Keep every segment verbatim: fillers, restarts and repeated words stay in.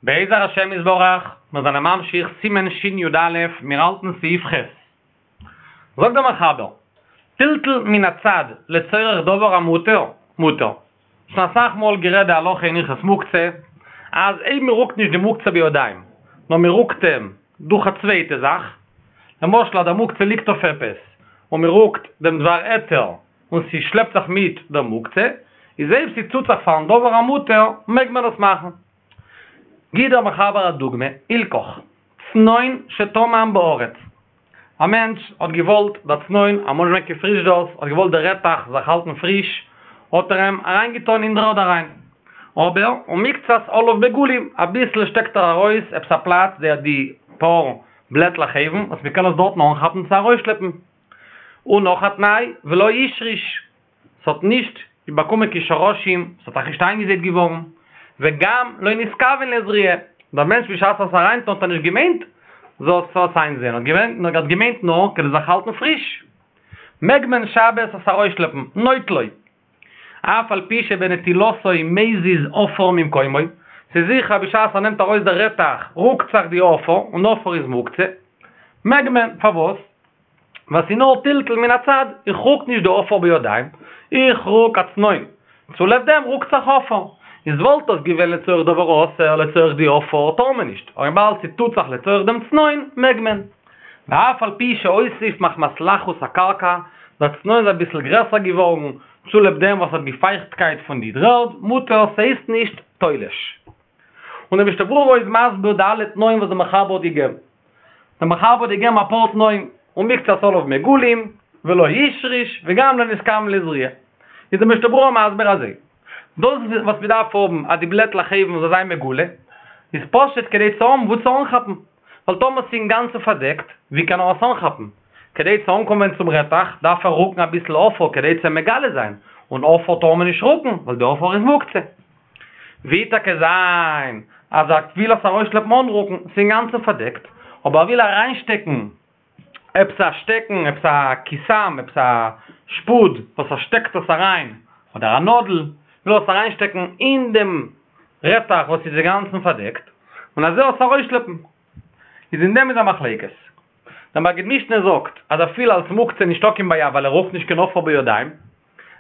בעזר השם יתברך, מיר זענען ממשיך סימן שי"א, מיר האלטן סעיף ח'. זאגט דער מחבר, טלטול מן הצד לצורך דבר המותר, מותר. שוין אסאך מאל גערעדט די הלכה אין הלכות מוקצה, אז אויב מען רוקט נישט די מוקצה בידיים, נאר מען רוקט אים דורך א צווייטע זאך, למשל אז דער מוקצה ליגט אויף עפעס, און מען רוקט דעם דבר היתר און ס'שלעפט זיך מיט דער מוקצה, איז אויב ס'טוט זיך פארן דבר המותר, מעג מען עס מאכן. גיט דער מחבר א דוגמא, הילכך, צנון שטמן בארץ. א מענטש האט געוואלט דער צנון, אמאל נישט געווען קיין פריזשדערס, האט געוואלט דער רעטעך זיך האלטן פריש, האט ער אים אריינגעטאן אין דר'ערד אריין. אבער, ומקצת עליו מגולים, אביסל שטעקט ער ארויס עפעס א פלאץ די די פאר בלעטלעך אויבן, וואס מ'קען עס דארטן אנכאפן צו ארויסשלעפן. און נאך א תנאי, ולא השריש, ס'האט נישט באקומען קיין שרשים, ס'האט זיך נישט איינגעזייט געווארן, וגם לא נתכוון לזריעה, דער מענטש בשעת עס אריינטון האט ער נישט געמיינט זאל עס איינזייען, ער האט געמיינט נאר כדי זיך האלטן פריש, מעג מען שבת עס ארויסשלעפן, נוטלו, אף על פי שבנטילתו מזיז עפר ממקומו, ס'איז זיכער בשעת ער נעמט ארויס דער רעטעך רוקט זיך די עפר, און עפר איז מוקצה, מעג מען, פארוואס? ווייל ס'איז נאר טלטול מן הצד, איך רוק נישט די עפר בידיים, איך רוק א צנון, צוליב דעם רוקט זיך עפר. איז וואלט דאס געווען לצורך דבר אסור, לצורך די עפר, טאר מען נישט, אבער וויבאלד ס'טוט זיך לצורך דעם צנון, מעג מען. ואף על פי שהוסיף מחמת לחות הקרקע, דער צנון איז אביסל גרעסער געווארן, צוליב דעם וואס האט די פייכטקייט פון די דר'ערד, מותר, ס'הייסט נישט תולש. און דער משנה ברורה איז מסביר די אלע תנאים וואס דער מחבר האט געגעבן. דער מחבר האט געגעבן אפאר תנאים, ומקצת עליו מגולים, ולא השריש, וגם לא נתכוון לזריעה. איז דער משנה ברורה מסביר אזוי, דאס וואס מען דארף האבן אז די בלעטלעך אויבן זאל זיין מגולה, איז פשוט כדי צו האבן וואו צו אנכאפן, ווייל טאמער ס'איז אינגאנצן פארדעקט, ווי קען ער עס אנכאפן? כדי צו אנקומען צום רעטעך דארף ער רוקן אביסל עפר כדי צו מגלה זיין, און עפר טאר מען נישט רוקן, ווייל די עפר איז מוקצה. ווי טאקע זיין אז ער וויל עס ארויסשלעפן אן רוקן, ס'איז אינגאנצן פארדעקט, אבער ער וויל אריינשטעקן עפעס א שטעקן, עפעס א קיסם, עפעס א שפוד וואס ער שטעקט עס אריין, אדער א נאדל, וויל ער עס אריינשטעקן אין דעם רעטעך וואס איז אינגאנצן פארדעקט, און אזוי עס ארויסשלעפן. איז אין דעם איז א מחלוקת. דער מגיד משנה זאגט אז אפילו אלס מוקצה נישטא קיין בעיה ווייל ער רוקט נישט קיין עפר בידיים,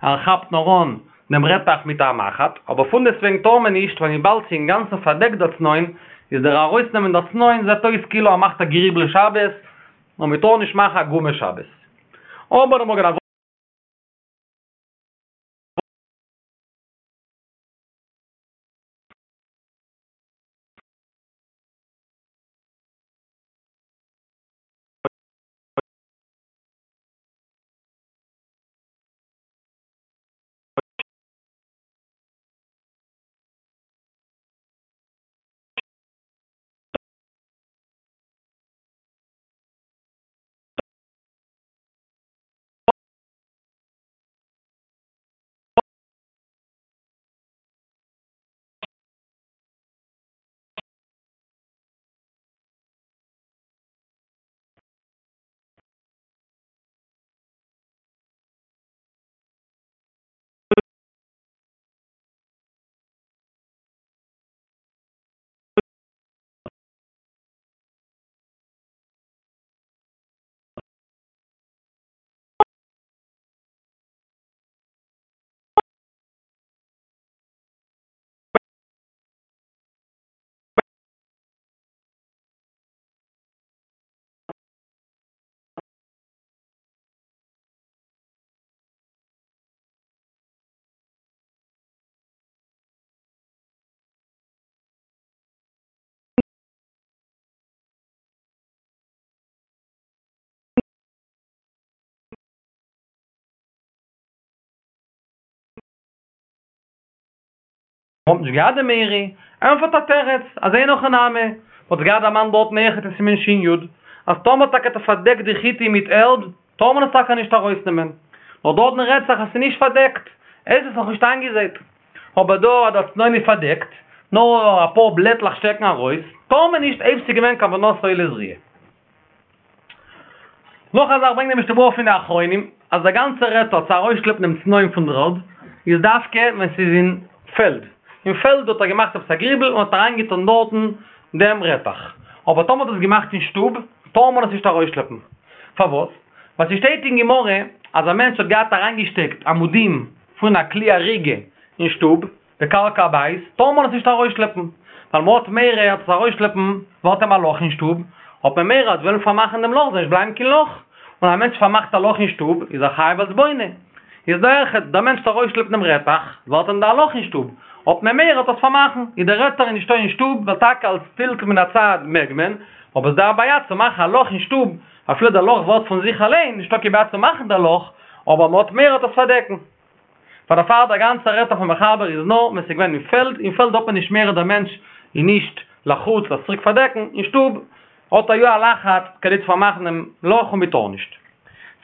ער כאפט נאר אן דעם רעטעך מיט א מחט, אבער פונדעסטוועגן טאר מען נישט ווייל וויבאלד ס'איז אינגאנצן פארדעקט דער צנון, איז דער ארויסנעמען דער צנון זעט אויס כאילו ער מאכט א גריבל שבת, און מען טאר נישט מאכן א גומא שבת. אבער דער מגן אברהם. מ'האט נישט געהאט די מאירי, ענפערט א תירוץ, אז אין הכי נמי, מ'האט געהאט דערמאנט דארטן אויכעט אין סימן שין יוד, אז טאמער טאקע האט ער פארדעקט די חיטים מיט ערד, טאר מען עס טאקע נישט ארויסנעמען, נאר דארטן רעדט זיך אז ס'איז נישט פארדעקט, עס איז נאכנישט איינגעזייט, אבער דא אז דער צנון איז פארדעקט, נאר אפאר בלעטלעך שטעקן ארויס, טאר מען נישט אויב ס'איז געווען כוונתו לזריעה. נאך א זאך ברענגט דער משנה ברורה פון די אחרונים, אז דער גאנצער היתר צו ארויסשלעפן דעם צנון פון דר'ערד, איז דווקא ווען ס'איז אין פעלד, אין פעלד האט ער געמאכט עפעס א גריבל און האט אריינגעטון דארטן דעם רעטעך. אבער טאמער האט עס געמאכט אין שטוב, טאר מען עס נישט ארויסשלעפן. פארוואס? ווייל ס'שטייט אין גמרא אז א מענטש האט געהאט אריינגעשטעקט עמודים פון א כלי אריגה אין שטוב, בקרקע הבית, טאר מען עס נישט ארויסשלעפן, ווייל מ'האט מורא אז עס ארויסשלעפן ווערט אים א לאך אין שטוב, האט מען מורא אז וועלן פארמאכן דעם לאך זאל נישט בלייבן קיין לאך, און א מענטש פארמאכט א לאך אין שטוב איז ער חייב אלס בונה. איז דא אויכעט, דער מענטש וועט ארויסשלעפן דעם רעטעך, ווערט אים דא א לאך אין שטוב, האט מען מורא עט עס פארמאכן, איז דער היתר איז נישטא אין שטוב, ווייל טאקע אלס טלטול מן הצד מעג מען, אבער ס'דא א בעיה צו מאכן א לאך אין שטוב, אפילו דער לאך ווערט פון זיך אליין, נישטא קיין בעיה צו מאכן דער לאך, אבער מ'האט מורא עט עס פארדעקן. פאר דערפאר דער גאנצער היתר פון מחבר איז נאר ווען ס'איז געווען אין פעלד, אין פעלד האט מען נישט מורא דער מענטש איז נישט לחוץ עס צוריק פארדעקן, אין שטוב האט ער יא א לחץ כדי צו פארמאכן דעם לאך און מ'טאר נישט.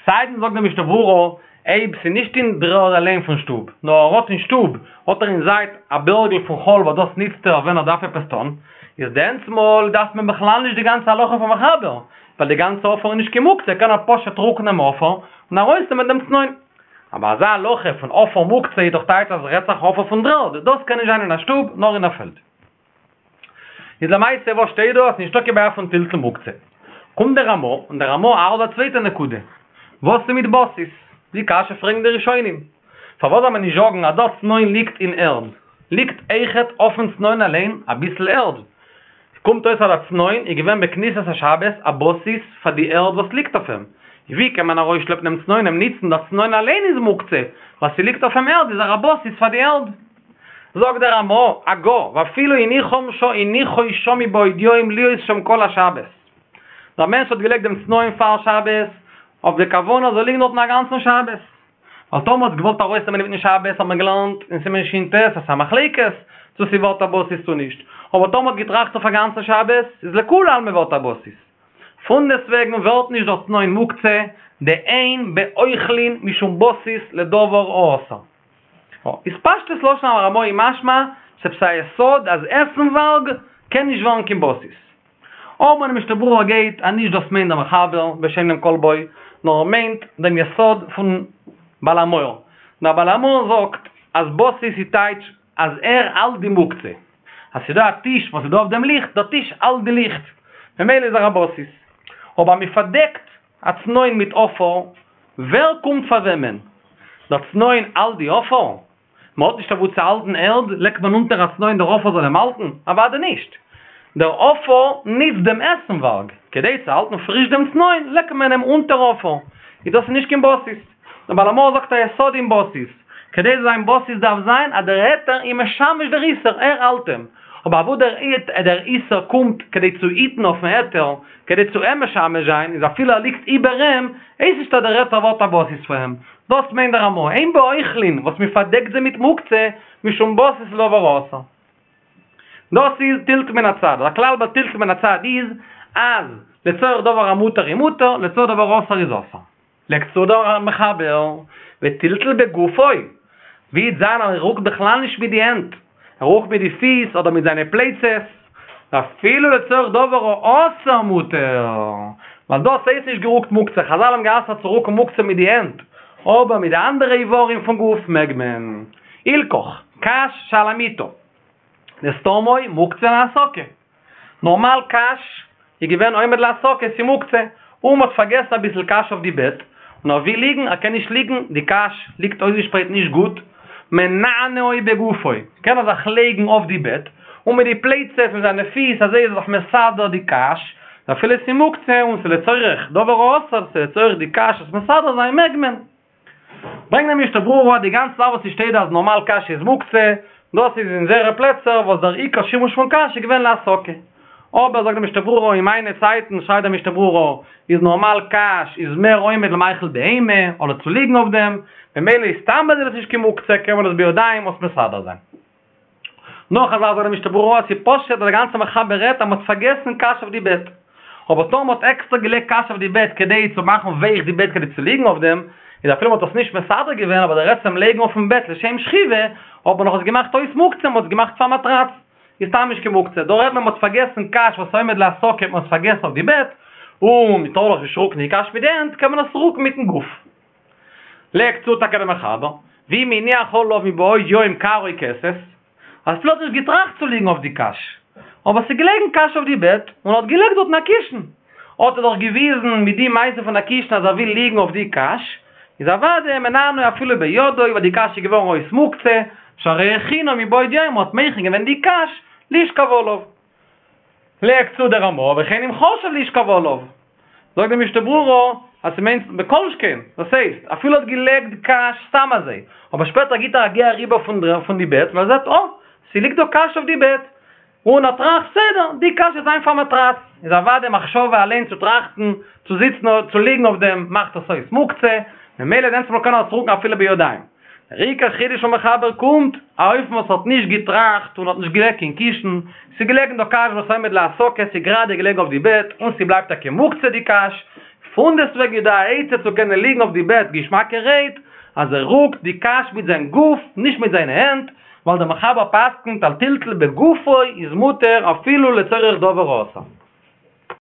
סיידן זאגט דער משנה ברורה, אויב ס'איז נישט אין דר'ערד אליין פון שטוב, נאר ער האט אין שטוב, האט ער אין זייט א בערגל פון חול וואס דאס ניצט ער ווען ער דארף עפעס טון, איז דענסמאל דארף מען בכלל נישט די גאנצע הלכה פון מחבר, ווייל די גאנצע עפר איז נישט קיין מוקצה, קען ער פשוט רוקן דעם עפר און ארויסנעמען דעם צנון. אבער אזא הלכה פון עפר מוקצה איז דאך טייטש אז רעדט זיך עפר פון דר'ערד, דאס קען נישט זיין אין א שטוב, נאר אין א פעלד. איז למעשה וואס שטייט דא אז ס'נישטא קיין בעיה פון טלטול מוקצה? קומט דער רמא, און דער רמא האלט א צווייטע נקודה. וואס איז מיט בסיס? די קשיא פרעגן די ראשונים. פארוואס זאל מען נישט זאגן אז דער צנון ליגט אין ערד? ליגט אויכעט אויפן צנון אליין אביסל ערד. קומט אויס אז דער צנון איז געווען בכניסת השבת א בסיס פאר די ערד וואס ליגט אויף אים. ווי קען מען ארויסשלעפן דעם צנון אים ניצן? דער צנון אליין איז מוקצה, ווייל ס'ליגט אויף אים ערד איז ער א בסיס פאר די ערד. זאגט דער רמא, הגה, ואפילו הניחם ש הניחו שם מבעוד יום להיות שם כל השבת. דער מענטש האט געלייגט דעם צנון פאר שבת, אויף די כוונה זאל ליגן דארטן א גאנצן שבת. ווייל טאמער האט געוואלט ארויסנעמען אינמיטן שבת האט מען געלערנט אין סימן ש"ט אז ס'איז א מחלוקת צו ס'ווערט א בסיס צו נישט, אבער טאמער האט געטראכט אויף א גאנצן שבת איז לכולי עלמא ווערט א בסיס. פונדעסטוועגן ווערט נישט דער צנון מוקצה, דאין באוכלין משום בסיס לדבר האסור. איז פשטות לשון הרמא איז משמע ס'עפעס א יסוד אז עסנווארג קען נישט ווערן קיין בסיס. אבער די משנה ברורה גייט אז נישט דאס מיינט דער מחבר בשם דעם כל בו, נאר ער מיינט דעם יסוד פון בעל המאור. דער בעל המאור זאגט אז בסיס איז טייטש אז ער האלט די מוקצה. אז ס'דא א טיש וואס איז דא אויף דעם ליכט, דער טיש האלט די ליכט, ממילא איז ער א בסיס. אבער מ'פארדעקט א צנון מיט עפר, ווער קומט פאר וועמען? דער צנון האלט די עפר? מען האט נישט אוואו צו האלטן ערד, לייגט מען אונטער א צנון דער עפר זאל אים האלטן? אוודאי נישט. דער עפר ניצט דעם עסנווארג, כדי צו האלטן פריש דעם צנון לייגט מען אים אונטער עפר, איז דאס נישט קיין בסיס. דער בעל המאור זאגט א יסוד אין בסיס, כדי צו זיין בסיס דארף זיין אז דער היתר איז משמש דער איסור, ער האלט אים. אבער אוואו דער איסור קומט כדי צו היטן אויפן היתר, כדי צו אים משמש זיין, איז אפילו ער ליגט איבער אים, הייסט נישט אז דער היתר ווערט א בסיס פאר אים. דאס מיינט דער רמא, אין באוכלין וואס מען פארדעקט זיי מיט מוקצה, משום בסיס לדבר האסור. דאס איז טלטול מן הצד. דער כלל ביי טלטול מן הצד איז אז לצורך דבר המותר איז מותר, לצורך דבר האסור איז אסור. לייגט צו דער מחבר, וטלטול בגופו, ווי וועט זיין אז ער רוקט בכלל נישט מיט די הענט, ער רוקט מיט די פיס אדער מיט זיינע פלייצעס, אפילו לצורך דבר האסור מותר, ווייל דאס הייסט נישט גערוקט מוקצה, חזל האבן גע'אסר'ט צו רוקן מוקצה מיט די הענט, אבער מיט די אנדערע איברים פון גוף מעג מען. הילכך, קש שעל המיטה, דסתמו מוקצה להסקה. נארמאל קש איז געווען עומד להסקה, ס'איז מוקצה, און מ'האט פארגעסן אביסל קש אויף די בעט, און ער וויל ליגן, ער קען נישט ליגן, די קש ליגט אויסגעשפרייט נישט גוט, מנענעו בגופו, קען ער זיך לייגן אויף די בעט, און מיט די פלייצעס מיט זיינע פיס אזוי איז ער זיך מסדר די קש, אפילו ס'איז מוקצה און ס'איז לצורך דבר האסור, ס'איז לצורך די קש עס מסדר זיין מעג מען. ברענגט דער משנה ברורה די גאנצע זאך וואס ס'שטייט דא אז נארמאל קש איז מוקצה, דאס איז אין זייערע פלעצער וואס דער עיקר שימוש פון קש איז געווען להסקה. אבער זאגט דער משנה ברורה אין מיינע צייטן שרייבט דער משנה ברורה איז נארמאל קש איז מער עומד למאכל בהמה אדער צו ליגן אויף דעם, ממילא איז סתם אז עס איז נישט קיין מוקצה קען מען עס בידיים אויס מסדר זיין. נאך א זאך זאגט דער משנה ברורה אז ס'איז פשוט אז דער גאנצער מחבר רעדט אז מ'האט פארגעסן קש אויף די בעט. אבער טאמער מ'האט עקסטער געלייגט קש אויף די בעט כדי צו מאכן ווייך די בעט כדי צו ליגן אויף דעם, איז אפילו מ'האט עס נישט מסדר געווען אבער דער עצם לייגן אויפן בעט לשם שכיבה האט מען נאך עס געמאכט אויס מוקצה, מ'האט עס געמאכט פאר מאטראץ, איז סתם נישט קיין מוקצה. דא רעדט מען מ'האט פארגעסן קש וואס עומד להסקה האט מען עס פארגעסן אויף די בעט, און מ'טאר דאך נישט רוקן די קש מיט די הענט קען מען עס רוקן מיטן גוף. לייגט צו טאקע דער מחבר, ואם הניח עליו מבעוד יום כר או כסת, אפילו האט נישט געטראכט צו ליגן אויף די קש, אבער ס'איז געלעגן קש אויף די בעט, און האט געלייגט דארטן א קישן, האט ער דאך געוויזן מיט די מעשה פון א קישן אז ער וויל ליגן אויף די קש, איז אוודאי מנענעו אפילו בידו, ווייל די קש איז געווארן אויס מוקצה, שהרי הכינו מבעוד יום, האט מכין געווען די קש לשכב עליו. לייגט צו דער רמ"א, וכן אם חשב לשכב עליו. זאגט די משנה ברורה אז ס'מיינט בכל שכן, דאס הייסט, אפילו האט געלייגט קש סתם אזוי, אבער שפעטער גיט ער א גיי אריבער פון די בעט און ער זעט אה, ס'ליגט דא קש אויף די בעט, און ער טראכט, בסדר, די קש וועט זיין פאר מאטראץ, איז אוודאי מחשבה אליין צו טראכטן, צו זיצן, צו ליגן אויף דעם, מאכט עס אויס מוקצה, ממילא דענסטמאל קען ער עס רוקן אפילו בידיים. דער עיקר חידוש פון מחבר קומט, א אופן וואס האט נישט געטראכט און האט נישט געלייגט קיין קישן, ס'איז געלעגן דא קש וואס עומד להסקה, ס'איז גראדע געלעגן אויף די בעט, און ס'בלייבט טאקע מוקצה די קש, פונדעסטוועגן איז דא א עצה צו קענען ליגן אויף די בעט געשמאקערהייט, אז ער רוקט די קש מיט זיין גוף, נישט מיט זיינע הענט, ווייל דער מחבר פסק'נט אז טלטול בגופו איז מותר אפילו לצורך דבר אסור.